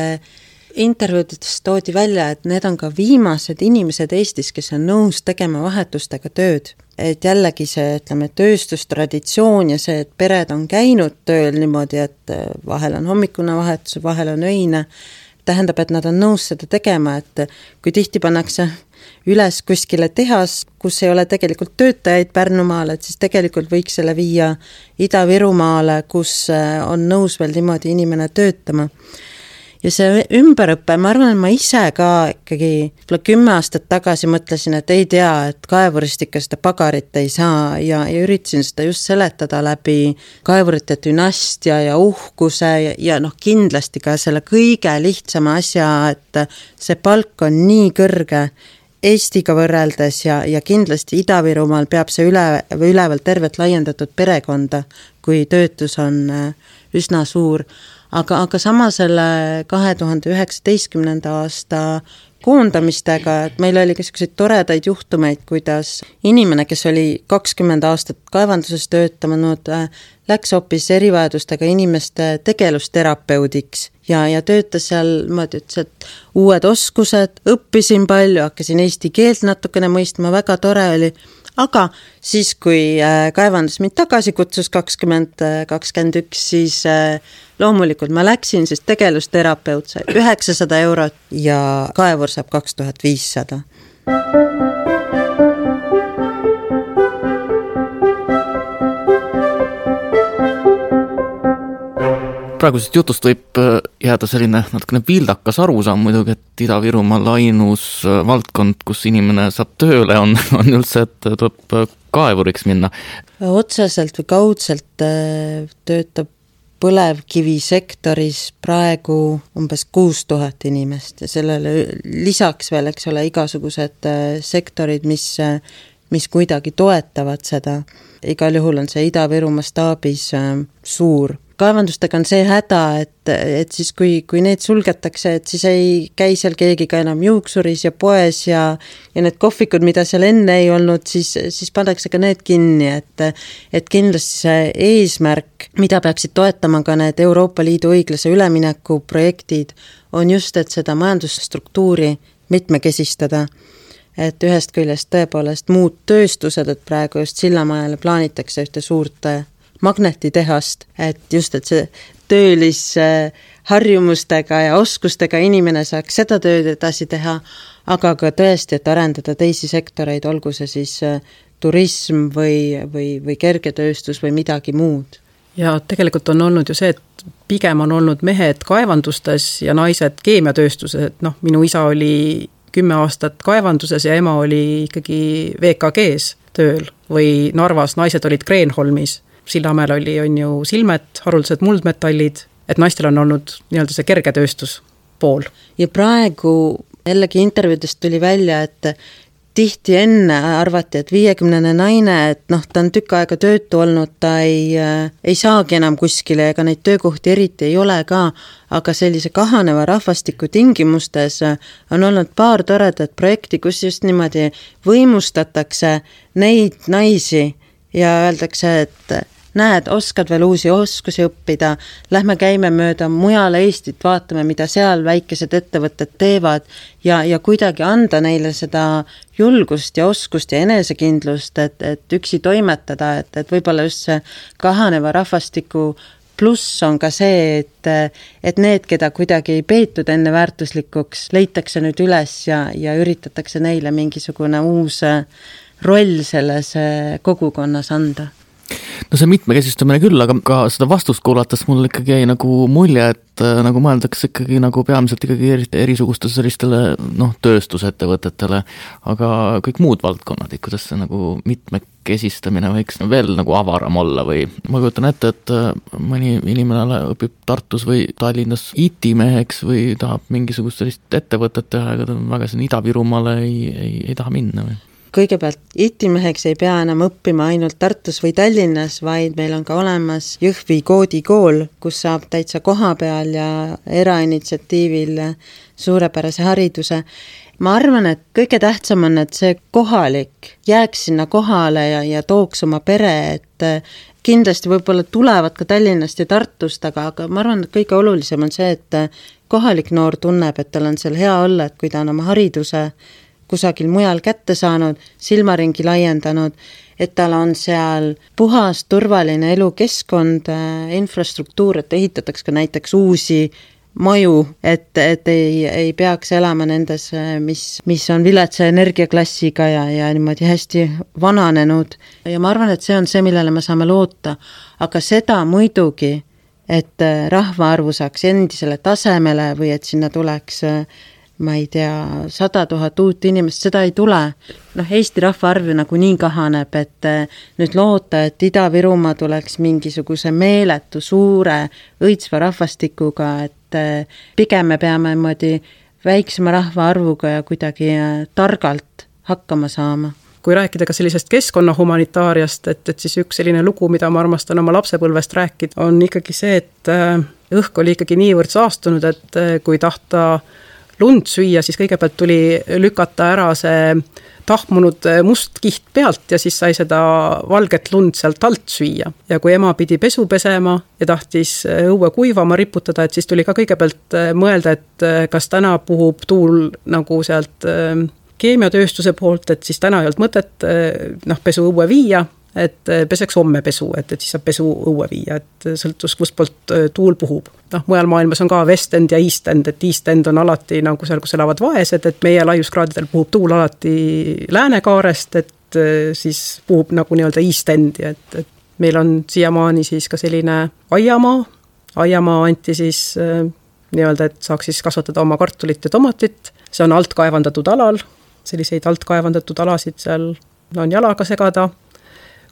intervjuudides toodi välja, et need on ka viimased inimesed Eestis, kes on nõus tegema vahetustega tööd. Et jällegi see, ütleme, tööstustraditsioon ja see, et pered on käinud tööl niimoodi, et vahel on hommikune vahetus, vahel on öine, tähendab, et nad on nõus seda tegema, et kui tihti pannakse üles kuskile tehas, kus ei ole tegelikult töötajaid Pärnumaal, et siis tegelikult võiks selle viia Ida-Virumaale, kus on nõus veel niimoodi inimene töötama. Ja see ümberõppe, ma arvan, et ma ise ka ikkagi 10 aastat tagasi mõtlesin, et ei tea, et kaevurist ikka seda pagarit ei saa ja üritasin seda just seletada läbi kaevurite dünastia ja uhkuse ja kindlasti ka selle kõige lihtsama asja, et see palk on nii kõrge Eestiga võrreldes ja kindlasti Ida-Virumaal peab see üleval tervet laiendatud perekonda, kui töötus on üsna suur. Aga sama selle 2019. aasta koondamistega, et meil oli selliseid toredaid juhtumeid, kuidas inimene, kes oli 20 aastat kaevanduses töötanud, läks hoopis erivajadustega inimeste tegelusterapeudiks ja töötas seal, ma ütlesin, et uued oskused, õppisin palju, hakkasin eesti keelt natukene mõistma, väga tore oli. Aga siis, kui kaevandus mind tagasi kutsus 2021, siis loomulikult ma läksin, siis tegelusterapeut sai 900 eurot ja kaevur saab 2500. Praegusest jutust võib jääda selline natukene vildakas arusaam muidugi, et Ida-Virumaal ainus valdkond, kus inimene saab tööle, on üldse, et tuleb kaevuriks minna. Otseselt või kaudselt töötab põlevkivisektoris praegu umbes 6000 inimest ja sellele lisaks veel, eks ole, igasugused sektorid, mis kuidagi toetavad seda. Igal juhul on see Ida-Virumaa staabis suur. Kaevandustega on see häda, et siis kui need sulgetakse, et siis ei käi seal keegi ka enam juuksuris ja poes ja need kohvikud, mida seal enne ei olnud, siis pannakse ka need kinni, et kindlasti see eesmärk, mida peaksid toetama ka need Euroopa Liidu õiglase ülemineku projektid, on just, et seda majandusstruktuuri mitmekesistada. Et ühest küljest tõepoolest muud tööstused, et praegu just Sillamajale plaanitakse ühte suurt magnetitehast, et just, et see töölis harjumustega ja oskustega inimene saaks seda tööd edasi teha, aga ka tõesti, et arendada teisi sektoreid, olgu see siis turism või kergetööstus või midagi muud. Ja tegelikult on olnud ju see, et pigem on olnud mehed kaevandustes ja naised keemiatööstuses, et minu isa oli 10 aastat kaevanduses ja ema oli ikkagi VKG-s tööl või Narvas naised olid Kreenholmis. Sillamäel on ju silmet, haruldased muldmetallid, et naistel on olnud nii-öelda see kergetööstus pool. Ja praegu jällegi intervjuudest tuli välja, et tihti enne arvati, et 50 naine, et ta on tükk aega töötu olnud, ta ei saagi enam kuskile, ega neid töökohti eriti ei ole ka, aga sellise kahaneva rahvastiku tingimustes on olnud paar toredat projekti, kus just niimoodi võimustatakse neid naisi ja öeldakse, et näed, oskad veel uusi oskusi õppida, lähme käime mööda mujal Eestit, vaatame, mida seal väikesed ettevõtted teevad ja kuidagi anda neile seda julgust ja oskust ja enesekindlust, et üksi toimetada, et võib-olla just see kahaneva rahvastiku pluss on ka see, et need, keda kuidagi ei peetud enne väärtuslikuks, leitakse nüüd üles ja üritatakse neile mingisugune uus roll selles kogukonnas anda. No see mitmekesistamine küll, aga ka seda vastust kuulates mul ikkagi jäi nagu mulje, et nagu mõeldakse ikkagi nagu peamiselt ikkagi erisuguste sellistele tööstusettevõtetele, aga kõik muud valdkonnad, kuidas see nagu mitmekesistamine võiks veel nagu avaram olla või ma kujutan ette, et mõni inimene õpib Tartus või Tallinnas IT-meheks või tahab mingisugust sellist ettevõtet teha, ega ta väga siin Ida-Virumaale ei taha minna või? Kõigepealt IT-meheks ei pea enam õppima ainult Tartus või Tallinnas, vaid meil on ka olemas Jõhvi koodikool, kus saab täitsa koha peal ja erainitsiatiivil suurepärase hariduse. Ma arvan, et kõige tähtsam on, et see kohalik jääks sinna kohale ja tooks oma pere, et kindlasti võib-olla tulevad ka Tallinnast ja Tartust, aga ma arvan, et kõige olulisem on see, et kohalik noor tunneb, et tal on seal hea olla, et kui ta on oma hariduse kusagil mujal kätte saanud, silmaringi laiendanud, et tal on seal puhas, turvaline elukeskkond, infrastruktuur, et ehitatakse ka näiteks uusi maju, et ei peaks elama nendes, mis on viletsa energiaklassiga ja niimoodi hästi vananenud. Ja ma arvan, et see on see, millele me saame loota, aga seda muidugi, et rahvaarvu saaks endisele tasemele või et sinna tuleks ma ei tea, 100 000 uut inimest, seda ei tule. Eesti rahvaarv nagu nii kahaneb, et nüüd loota, et Ida-Virumaa tuleks mingisuguse meeletu suure õitsva rahvastikuga, et pigem me peame väiksema rahvaarvuga ja kuidagi targalt hakkama saama. Kui rääkida ka sellisest keskkonnahumanitaariast, et siis üks selline lugu, mida ma armastan oma lapsepõlvest rääkida, on ikkagi see, et õhk oli ikkagi niivõrd saastunud, et kui tahta lund süüa, siis kõigepealt tuli lükata ära see tahmunud must kiht pealt ja siis sai seda valget lund sealt alt süüa. Ja kui ema pidi pesu pesema ja tahtis õue kuivama riputada, et siis tuli ka kõigepealt mõelda, et kas täna puhub tuul nagu sealt keemiatööstuse poolt, et siis täna ei olnud mõtet pesu õue viia, et peseks homme pesu, et siis saab pesu õue viia, et sõltus, kus poolt tuul puhub. Mujal maailmas on ka West End ja East End, et East End on alati nagu seal, kus elavad vaesed, et meie laiuskraadidel puhub tuul alati läänekaarest, et siis puhub nagu nii-öelda East Endi, et meil on siiamaani siis ka selline aiamaa anti siis nii-öelda, et saaks siis kasvatada oma kartulit ja tomatit, see on altkaevandatud alal, selliseid altkaevandatud alasid seal on jalaga segada.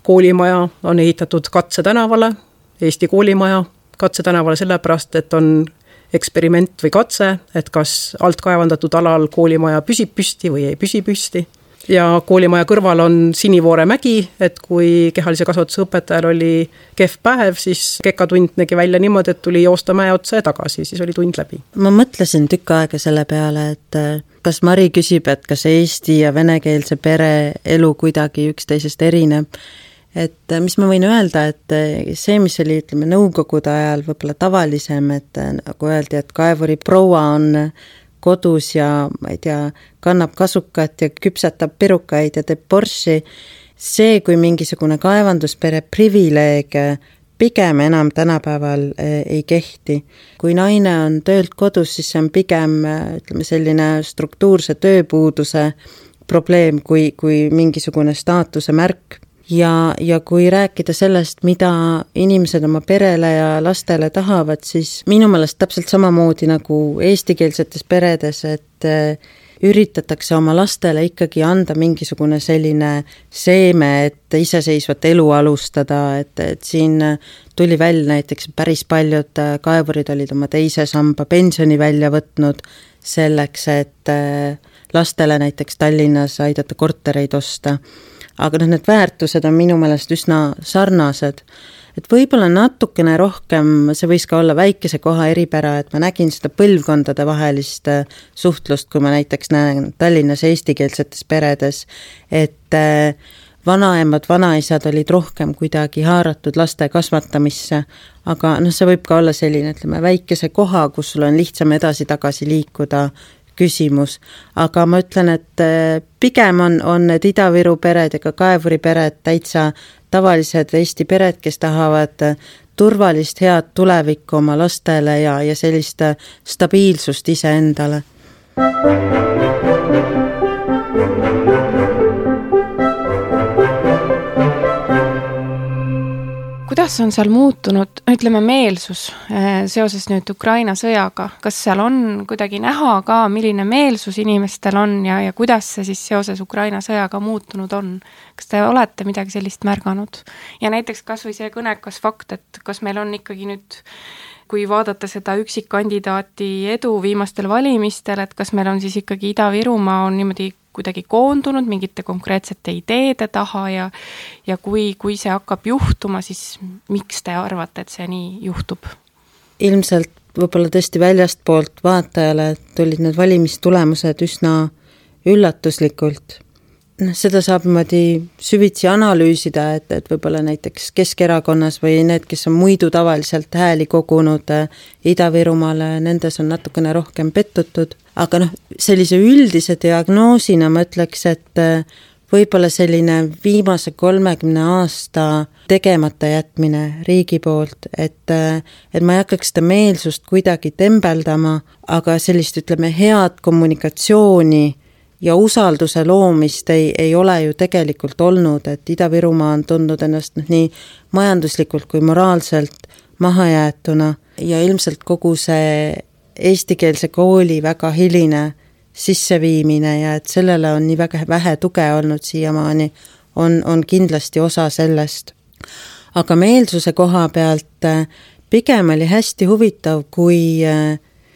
Koolimaja on ehitatud Katsetänavale, Eesti koolimaja Katsetänavale sellepärast, et on eksperiment või katse, et kas altkaevandatud alal koolimaja püsib püsti või ei püsi püsti. Ja koolimaja kõrval on Sinivoore mägi, et kui kehalise kasvatuse õpetajal oli kehv päev, siis kekatund nägi välja niimoodi, et tuli joosta mäe otsa ja tagasi, siis oli tund läbi. Ma mõtlesin tükk aega selle peale, et kas Mari küsib, et kas eesti ja venekeelse pere elu kuidagi üksteisest erineb. Et mis ma võin öelda, et see, mis oli, ütleme, nõukogude ajal võib-olla tavalisem, et nagu öeldi, et kaevuri proua on kodus ja ma ei tea, kannab kasukat ja küpsetab pirukaid ja teeb borši, see kui mingisugune kaevanduspere privileeg pigem enam tänapäeval ei kehti. Kui naine on töölt kodus, siis see on pigem, ütleme, selline struktuurse tööpuuduse probleem kui mingisugune staatuse märk. Ja kui rääkida sellest, mida inimesed oma perele ja lastele tahavad, siis minu meelest täpselt samamoodi nagu eestikeelsetes peredes, et üritatakse oma lastele ikkagi anda mingisugune selline seeme, et iseseisvat elu alustada, et siin tuli välja näiteks päris paljud kaevurid olid oma teise samba pensioni välja võtnud selleks, et lastele näiteks Tallinnas aidata kortereid osta. Aga need väärtused on minu meelest üsna sarnased, et võib-olla natukene rohkem, see võis ka olla väikese koha eripära, et ma nägin seda põlvkondade vahelist suhtlust, kui ma näiteks näen Tallinnas eestikeelsetes peredes, et vanaemad, vanaisad olid rohkem kuidagi haaratud laste kasvatamisse, aga see võib ka olla selline, ütleme, väikese koha, kus sul on lihtsam edasi-tagasi liikuda küsimus, aga ma ütlen, et pigem on need Ida-Viru pered ja ka Kaevuri pered täitsa tavalised Eesti pered, kes tahavad turvalist head tulevikku oma lastele ja sellist stabiilsust iseendale. Kuidas on seal muutunud, ütleme, meelsus seoses nüüd Ukraina sõjaga? Kas seal on kuidagi näha ka, milline meelsus inimestel on ja kuidas see siis seoses Ukraina sõjaga muutunud on? Kas te olete midagi sellist märganud? Ja näiteks kas või see kõnekas fakt, et kas meil on ikkagi nüüd, kui vaadata seda üksikkandidaati edu viimastel valimistel, et kas meil on siis ikkagi Ida-Virumaa on niimoodi kuidagi koondunud mingite konkreetsete ideede taha ja kui see hakkab juhtuma, siis miks te arvate, et see nii juhtub? Ilmselt võib-olla tõesti väljast poolt vaatajale tulid need valimistulemused üsna üllatuslikult. Seda saab niimoodi süvitsi analüüsida, et võib-olla näiteks Keskerakonnas või need, kes on muidu tavaliselt hääli kogunud Ida-Virumaale, nendes on natukene rohkem pettutud. Aga sellise üldise diagnoosina ma ütleks, et võib-olla selline viimase 30 aasta tegemata jätmine riigi poolt, et ma ei hakkaks seda meelsust kuidagi tembeldama, aga sellist, ütleme, head kommunikatsiooni ja usalduse loomist ei ole ju tegelikult olnud, et Ida-Virumaa on tundnud ennast nii majanduslikult kui moraalselt mahajäetuna ja ilmselt kogu see eestikeelse kooli väga hiline sisseviimine ja et sellele on nii väga vähe tuge olnud siiamaani, on kindlasti osa sellest. Aga meelsuse koha pealt pigem oli hästi huvitav, kui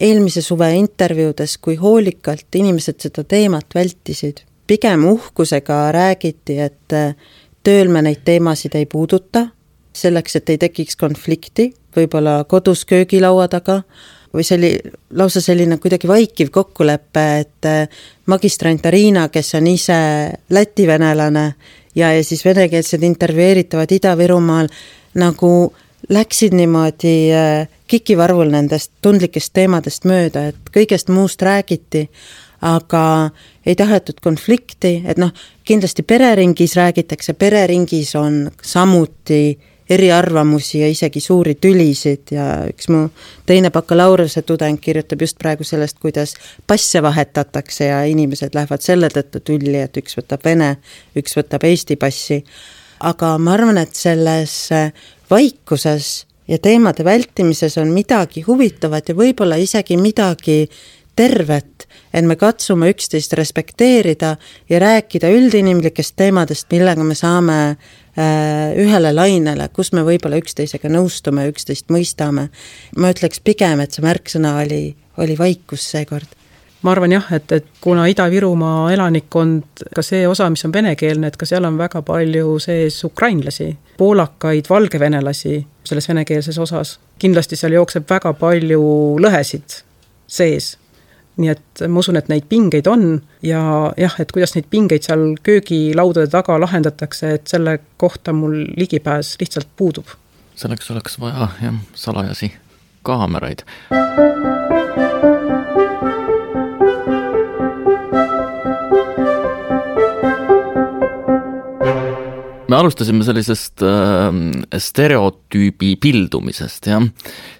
eelmise suve intervjuudes, kui hoolikalt inimesed seda teemat vältisid. Pigem uhkusega räägiti, et tööl me neid teemasid ei puuduta, selleks, et ei tekiks konflikti, võib-olla kodus köögilaua taga, või see oli lausa selline kuidagi vaikiv kokkulepe, et magistrant Arina, kes on ise lätivenelane ja siis venekeelsed intervjueeritavad Ida-Virumaal, nagu läksid niimoodi kikivarvul nendest tundlikest teemadest mööda, et kõigest muust räägiti, aga ei tahetud konflikti, et kindlasti pereringis räägitakse, pereringis on samuti eriarvamusi ja isegi suuri tülisid ja üks mu teine bakalaureuse tudeng kirjutab just praegu sellest, kuidas passe vahetatakse ja inimesed lähevad selle tõttu tülli, et üks võtab Vene, üks võtab Eesti passi. Aga ma arvan, et selles vaikuses ja teemade vältimises on midagi huvitavat ja võib-olla isegi midagi tervet, et me katsume üksteist respekteerida ja rääkida üldinimlikest teemadest, millega me saame ühele lainele, kus me võib-olla üksteisega nõustume, üksteist mõistame. Ma ütleks pigem, et see märksõna oli vaikus seekord. Ma arvan jah, et kuna Ida-Virumaa elanikkond, ka see osa, mis on venekeelne, et ka seal on väga palju sees ukrainlasi, poolakaid, valgevenelasi selles venekeelses osas. Kindlasti seal jookseb väga palju lõhesid sees. Nii et ma usun, et neid pingeid on ja jah, et kuidas neid pingeid seal köögilaudade taga lahendatakse, et selle kohta mul ligipääs lihtsalt puudub. Selleks oleks vaja salajasi kaameraid. Me alustasime sellisest stereotüübi pildumisest,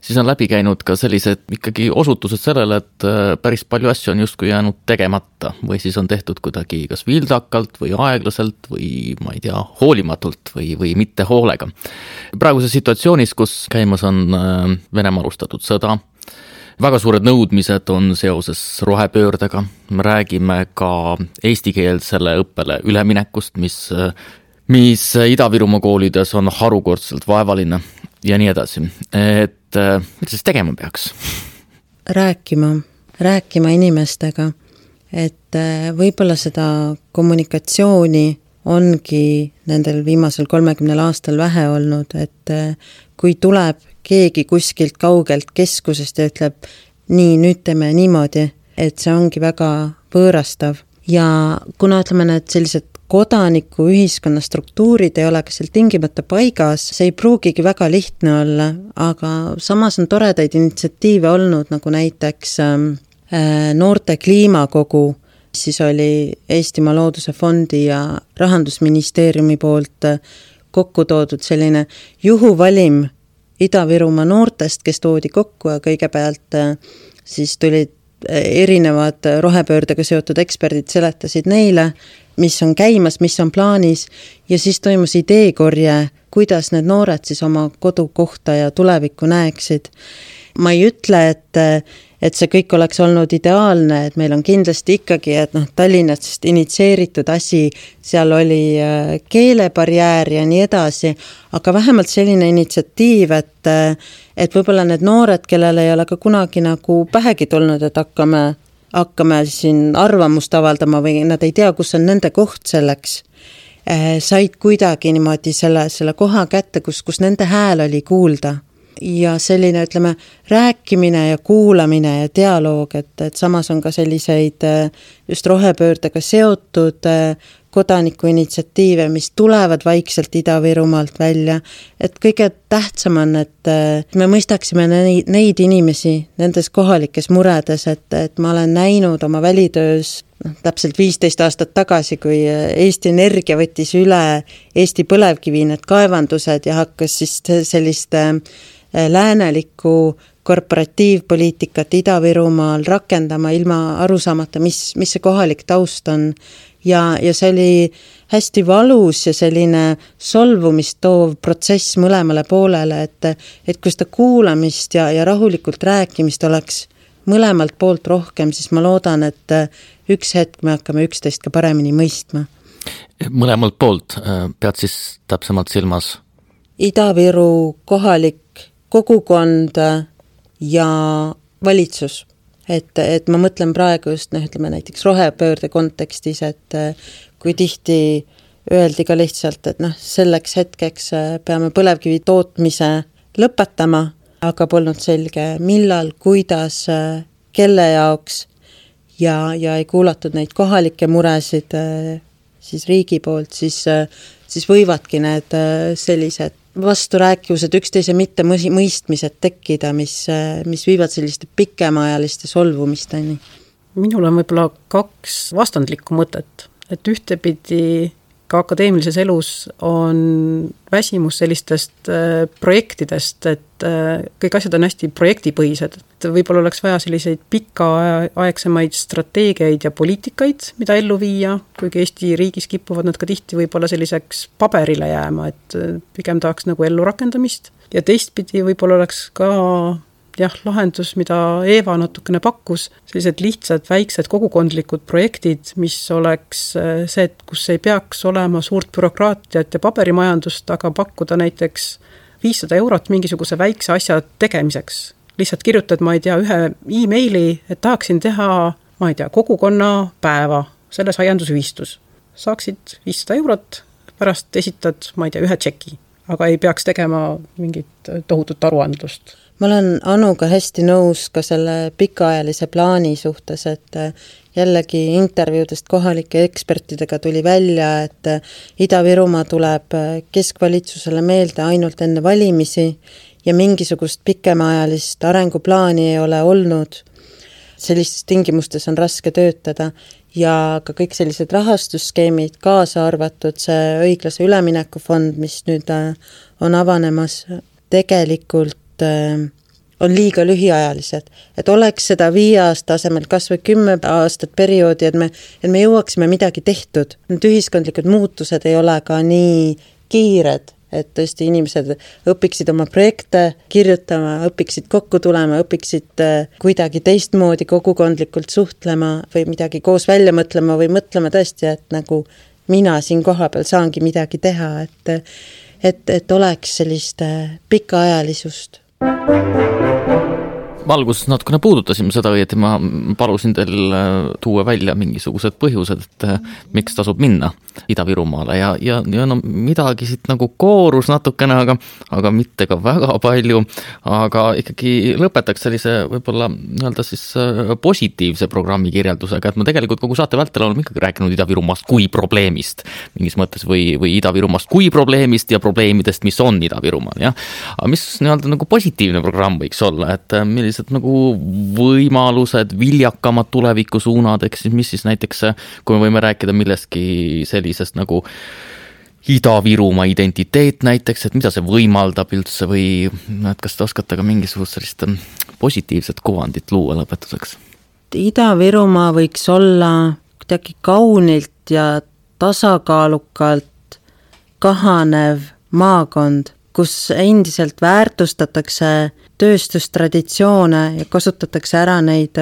siis on läbi käinud ka sellised ikkagi osutused sellele, et päris palju asju on justkui jäänud tegemata või siis on tehtud kuidagi kas vildakalt või aeglaselt või ma ei tea, hoolimatult või mitte hoolega. Praeguses situatsioonis, kus käimas on Venemaa alustatud sõda, väga suured nõudmised on seoses rohepöördega, me räägime ka eestikeelsele õppele üleminekust, mis Ida-Virumaa koolides on harukordselt vaevaline ja nii edasi. Et mida siis tegema peaks? Rääkima inimestega, et võib-olla seda kommunikatsiooni ongi nendel viimasel 30 aastal vähe olnud, et kui tuleb keegi kuskilt kaugelt keskusest ja ütleb, nii, nüüd teeme niimoodi, et see ongi väga võõrastav. Ja kuna ütleme need sellised kodaniku ühiskonna struktuurid ei ole ka seal tingimata paigas, see ei pruugigi väga lihtne olla, aga samas on toredaid initsiatiive olnud, nagu näiteks noorte kliimakogu, siis oli Eestimaa Looduse Fondi ja Rahandusministeeriumi poolt kokku toodud selline juhuvalim Ida-Virumaa noortest, kes toodi kokku ja kõigepealt siis tulid erinevad rohepöördega seotud eksperdid, seletasid neile, mis on käimas, mis on plaanis ja siis toimus ideekorje, kuidas need noored siis oma kodukohta ja tulevikku näeksid. Ma ei ütle, et see kõik oleks olnud ideaalne, et meil on kindlasti ikkagi, et Tallinnast initsieeritud asi, seal oli keelebarjäär ja nii edasi, aga vähemalt selline initsiatiiv, et võib-olla need noored, kellel ei ole ka kunagi nagu pähegi tulnud, et hakkame siin arvamust avaldama või nad ei tea, kus on nende koht selleks, said kuidagi niimoodi selle koha kätte, kus nende hääl oli kuulda. Ja selline, ütleme, rääkimine ja kuulamine ja dialoog, et samas on ka selliseid just rohepöördega seotud kodanikuinitsiatiive, mis tulevad vaikselt Ida-Virumaalt välja. Et kõige tähtsam on, et me mõistaksime neid inimesi nendes kohalikes muredes, et ma olen näinud oma välitöös täpselt 15 aastat tagasi, kui Eesti Energia võttis üle Eesti põlevkivi need kaevandused ja hakkas siis sellist läänelikku korporatiivpoliitikat Ida-Virumaal rakendama ilma arusaamata, mis see kohalik taust on. Ja see oli hästi valus ja selline solvumist toov protsess mõlemale poolele, et kui seda kuulamist ja rahulikult rääkimist oleks mõlemalt poolt rohkem, siis ma loodan, et üks hetk me hakkame üksteist ka paremini mõistma. Mõlemalt poolt pead siis täpsemalt silmas? Ida-Viru kohalik kogukond ja valitsus. Et ma mõtlen praegu just, ütleme näiteks rohepöörde kontekstis, et kui tihti öeldi ka lihtsalt, et selleks hetkeks peame põlevkivi tootmise lõpetama, aga polnud selge, millal, kuidas, kelle jaoks ja ei kuulatud neid kohalikke muresid siis riigi poolt, siis võivadki need sellised vasturääkivused, üksteise mitte mõistmised tekkida, mis viivad selliste pikemaajaliste solvumisteni. Minul on võib-olla 2 vastandlikku mõtet, et ühtepidi ka akadeemilises elus on väsimus sellistest projektidest, et kõik asjad on hästi projektipõhised. Et võib-olla oleks vaja selliseid pikaaegsemaid strateegiaid ja poliitikaid, mida ellu viia, kuigi Eesti riigis kipuvad nad ka tihti võib-olla selliseks paberile jääma, et pigem tahaks nagu ellu rakendamist. Ja teistpidi võib-olla oleks ka lahendus, mida Eeva natukene pakkus, sellised lihtsad, väiksed kogukondlikud projektid, mis oleks see, et kus ei peaks olema suurt bürokraatiat ja paberimajandust, aga pakkuda näiteks 500 eurot mingisuguse väikse asja tegemiseks. Lihtsalt kirjutad, ma ei tea, ühe e-maili, et tahaksin teha, ma ei tea, kogukonna päeva selles aiandusühistus. Saaksid 500 eurot, pärast esitad, ma ei tea, ühe tšeki, aga ei peaks tegema mingit tohutut aruandlust. Ma olen Anuga hästi nõus ka selle pikaajalise plaani suhtes, et jällegi intervjuudest kohalike ekspertidega tuli välja, et Ida-Virumaa tuleb keskvalitsusele meelde ainult enne valimisi ja mingisugust pikemaajalist arenguplaani ei ole olnud. Sellistes tingimustes on raske töötada ja ka kõik sellised rahastusskeemid kaasa arvatud, see õiglase üleminekufond, mis nüüd on avanemas, tegelikult on liiga lühiajalised, et oleks seda 5 aasta asemel kas või 10 aastat perioodi, et me jõuaksime midagi tehtud. Need ühiskondlikud muutused ei ole ka nii kiired, et tõesti inimesed õpiksid oma projekte kirjutama, õpiksid kokku tulema, õpiksid kuidagi teistmoodi kogukondlikult suhtlema või midagi koos välja mõtlema või mõtlema tõesti, et nagu mina siin kohapeal saangi midagi teha, et oleks sellist pikaajalisust. alguses natukene puudutasime seda, et ma palusin teil tuua välja mingisugused põhjused, et miks tasub minna Ida-Virumaale ja no midagi siit nagu koorus natukene, aga mitte ka väga palju, aga ikkagi lõpetaks sellise võib-olla nii-öelda siis positiivse programmi kirjeldusega, et ma tegelikult kogu saate vältel olen ikkagi rääkinud Ida-Virumaast kui probleemist mingis mõttes või Ida-Virumaast kui probleemist ja probleemidest, mis on Ida-Virumaal, jah. Aga mis nii-öelda nagu positiivne programm võiks olla, et millised nagu võimalused, viljakamad tulevikusuunad, eks mis siis näiteks, kui me võime rääkida millestki sellisest nagu Ida-Virumaa identiteet näiteks, et mida see võimaldab üldse või et kas te oskate ka mingisugust sellist positiivset kuvandit luua lõpetuseks? Ida-Virumaa võiks olla kuidagi kaunilt ja tasakaalukalt kahanev maakond, kus endiselt väärtustatakse tööstustraditsioone ja kasutatakse ära neid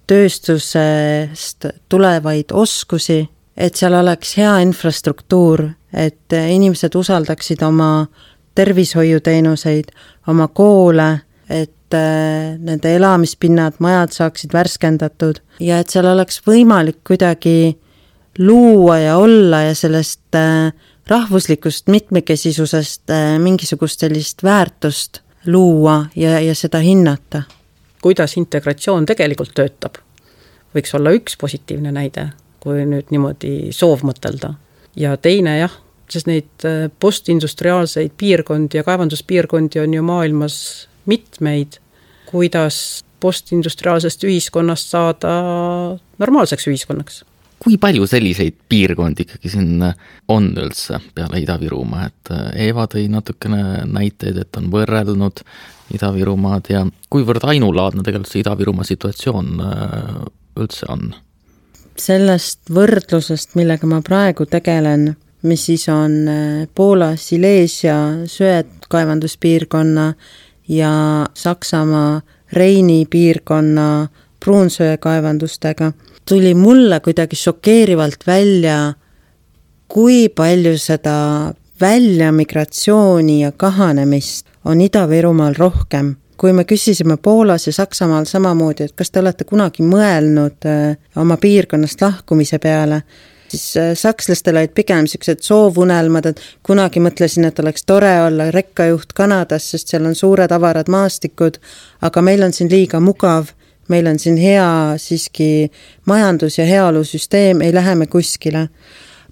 tööstusest tulevaid oskusi, et seal oleks hea infrastruktuur, et inimesed usaldaksid oma tervishoiuteenuseid, oma koole, et nende elamispinnad, majad saaksid värskendatud ja et seal oleks võimalik kuidagi luua ja olla ja sellest rahvuslikust mitmekesisusest mingisugust sellist väärtust luua ja seda hinnata. Kuidas integratsioon tegelikult töötab, võiks olla üks positiivne näide, kui nüüd niimoodi soov mõtelda. Ja teine jah, sest neid postindustriaalseid piirkondi ja kaevanduspiirkondi on ju maailmas mitmeid, kuidas postindustriaalsest ühiskonnast saada normaalseks ühiskonnaks. Kui palju selliseid piirkondi ikkagi siin on üldse peale Ida-Virumaa, et Eeva tõi natukene näiteid, et on võrrelnud Ida-Virumaad ja kuivõrd ainulaadne tegelikult see Ida-Virumaa situatsioon üldse on? Sellest võrdlusest, millega ma praegu tegelen, mis siis on Poola Silesia söekaevanduspiirkonna ja Saksamaa Reini piirkonna pruunsöekaevandustega, tuli mulle kuidagi šokeerivalt välja, kui palju seda väljamigratsiooni ja kahanemist on Ida-Virumaal rohkem. Kui me küsisime Poolas ja Saksamaal samamoodi, et kas te olete kunagi mõelnud oma piirkonnast lahkumise peale, siis sakslastel olid pigem sellised soovunelmad, et kunagi mõtlesin, et oleks tore olla rekkajuht Kanadas, sest seal on suured avarad maastikud, aga meil on siin liiga mugav, meil on siin hea siiski majandus- ja heaolusüsteem, ei lähe me kuskile.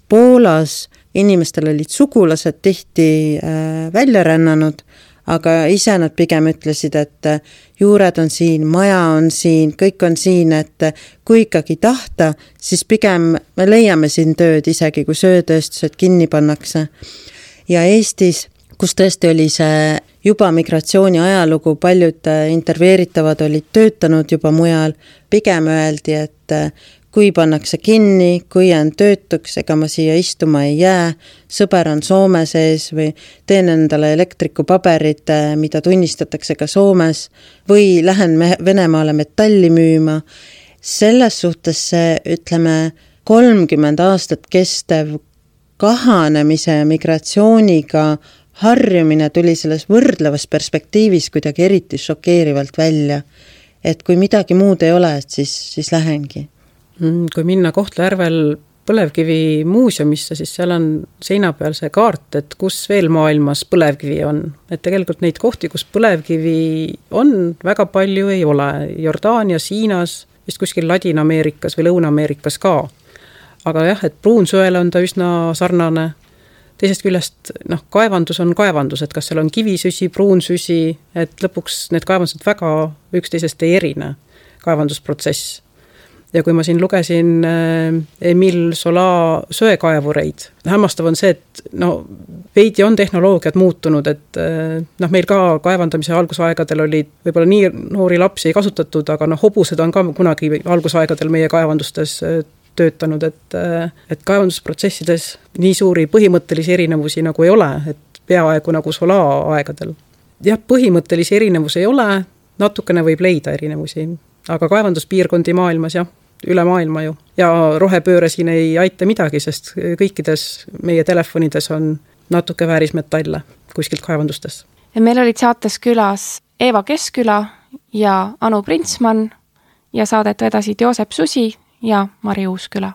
Poolas inimestel olid sugulased tihti välja rännanud, aga ise nad pigem ütlesid, et juured on siin, maja on siin, kõik on siin, et kui ikkagi tahta, siis pigem me leiame siin tööd isegi, kui söötööstused kinni pannakse. Ja Eestis, kus tõesti oli see juba migratsiooni ajalugu, paljud intervjueeritavad olid töötanud juba mujal, pigem öeldi, et kui pannakse kinni, kui jään töötuks, ega ma siia istuma ei jää, sõber on Soome sees või teen endale elektrikupaberid, mida tunnistatakse ka Soomes, või lähen Venemaale metalli müüma. Selles suhtes see, ütleme, 30 aastat kestev kahanemise ja migratsiooniga harjumine tuli selles võrdlevas perspektiivis kuidagi eriti šokeerivalt välja. Et kui midagi muud ei ole, siis lähengi. Kui minna Kohtla-Järvel põlevkivi muuseumisse, siis seal on seina peal see kaart, et kus veel maailmas põlevkivi on. Et tegelikult neid kohti, kus põlevkivi on, väga palju ei ole. Jordaanias, Hiinas, vist kuskil Ladina-Ameerikas või Lõuna-Ameerikas ka. Aga jah, et pruunsöele on ta üsna sarnane. Teisest küljest, kaevandus on kaevandus, et kas seal on kivisüsi, pruunsüsi, et lõpuks need kaevandused väga üksteisest ei erine kaevandusprotsess. Ja kui ma siin lugesin Emil Sola söekaevureid, hämmastav on see, et veidi on tehnoloogiad muutunud, et meil ka kaevandamise algusaegadel oli võib-olla nii noori lapsi ei kasutatud, aga hobused on ka kunagi algusaegadel meie kaevandustes töötanud, et kaevandusprotsessides nii suuri põhimõttelisi erinevusi nagu ei ole, et peaaegu nagu Sola aegadel. Jah, põhimõttelisi erinevusi ei ole, natukene võib leida erinevusi, aga kaevanduspiirkondi maailmas jah, üle maailma ju. Ja rohepööre siin ei aita midagi, sest kõikides meie telefonides on natuke väärismetalle kuskilt kaevandustes. Ja meil olid saates külas Eeva Keskküla ja Anu Printsmann ja saadet vedasid Joosep Susi ja Mari Uusküla.